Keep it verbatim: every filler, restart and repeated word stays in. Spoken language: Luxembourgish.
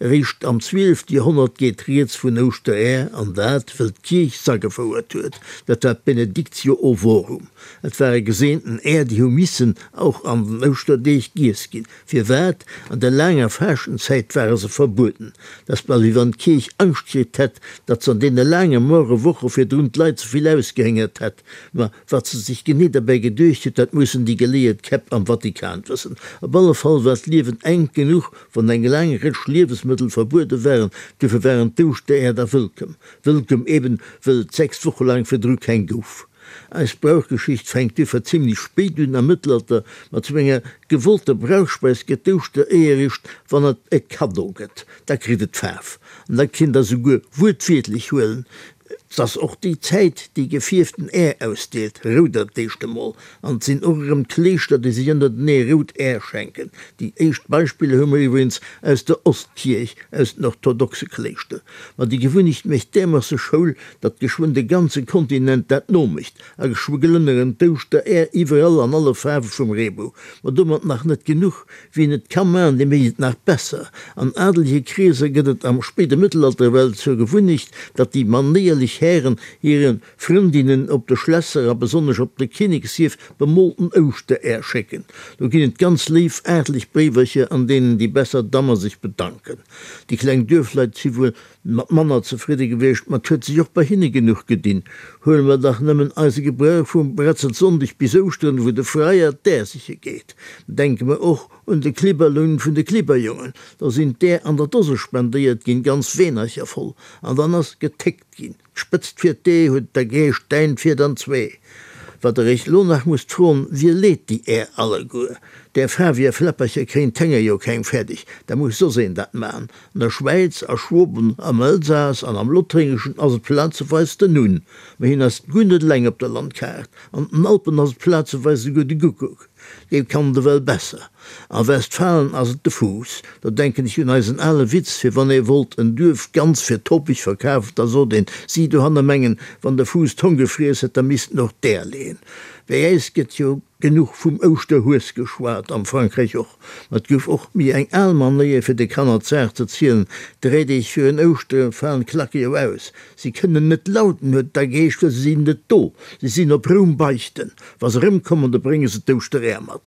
Eréischt am zwielefte Joerhonnert geet rieds vun Ouschteräer, an dat, wëll d'Kierch s'agefouert huet. Dat war d'Benedictio ovorum. Et ware geseenten Äer, déi hu missen och an den Ouschterdeeg giess ginn. Firwat? An der laanger Faaschtenzäit ware se verbueden. Dat ass bal, wéi wann d'Kierch Angscht kritt hätt, datt se an deene laange moere Woche virdrun d'Leit ze vill ausgehéngert hätt. Ma wat se sech genee derbäi geduecht huet, dat mussen déi geleeët Käpp am Vatikan wëssen. Op alle Fall war d'Liewen enk genuch, wann eng laang Rëtsch Liewesmëttel verbuede waren, duerfir waren d'Ouschtereer da wëllkomm. Wëllkomm eben, wëll et sechs Woche laang virdru keng gouf. Eis Brauchgeschicht fänkt duerfir zimlech spéit un, am Mëttelalter. Ma zu enger gewollter Brauchspeis gëtt d'Ouschtereeër eréischt, wann et e Kaddo gëtt. Da kritt et Faarf. An dat kinnt der souguer wuertwiertlech huelen. 't ass och déi Zäit, déi gefierften Äer ausdeelt, rouder d'éischt emol. An 't sinn och erëm d'Kléischter, déi sech ënnertenee rout Äer schenken. Déi éischt Beispiller hu mer iwwregens aus der Ostkierch, aus den orthodoxe Kléischter. Ma déi Gewunnecht mécht därmoosse Schoul, datt geschwënn de ganze Kontinent dat nomécht a geschwë glënneren d'Ouschteräer iwwerall an alle Faarwe vum Reebou. Ma domat nach net genuch, Wien et ka man, dee mécht et nach besser. An adelege Kreeser gëtt et am spéide Mëttelalter ewell zur Gewunnecht, datt déi manéierlech Hären hire Frëndinnen op de Schlässer a besonnesch op de Kinnekshierf bemoolten Ouschteräer schécken. Do ginn et ganz léif aartlech Bréiwercher, an deenen déi besser Dammer sech bedanken. Déi kleng Duerfleit si wuel mat manner zefridde gewiescht, ma 't huet sech och bei hinne genuch gedinn. Huele mer dach nëmmen eise Gebrauch vum Bretzelsonndeg bis Ouschteren, wou de Freier d'Äer siche geet. Denke mer och un de Klibberlunn vun de Klibberjongen, do sinn d'Äer an der Dose spendéiert ginn, ganz Weenercher voll, an dann ass getéckt ginn, D'Spëtzt fir d'Ee huet der Geescht, däin fiert an zwee. Wat der iech lo nach musst froen, Wie leet déi Äer alleguer? Där faarweger Fläppercher kréien d'Hénger jo keng fäerdeg, da muss soss een dat man. An der Schwäiz, a Schwoben, am Elsass an am Lothréngeschen ass et plazeweis den Hunn, mä hien ass guer net eleng op der Landkaart. An den Alpen ass et plazeweis esouguer de Guckuck. Dee kann et ewell besser. A Westfalen ass et de Fuuss. Do denken ech un eisen ale Witz, fir wann ee wollt en Duerf ganz fir topeg verkafen, da sot een, Si dohanne mengen, wann de Fuuss d'Hong gefriess hätt, da misst en och d'Äer leeën. Bei äis gëtt jo genuch vum Ouschterhues geschwat, am Frankräich och. Ma et gouf och méi eng al Manéier, fir de Kanner d'Saach ze zielen, Dräi Deeg virun Ouschtere falen d'Klacke jo aus. Si kënnen net lauten, huet da geheescht, well se sinn net do, si sinn op Roum beichten. Wa se erëmkommen, da brénge se d'Ouschteräer mat.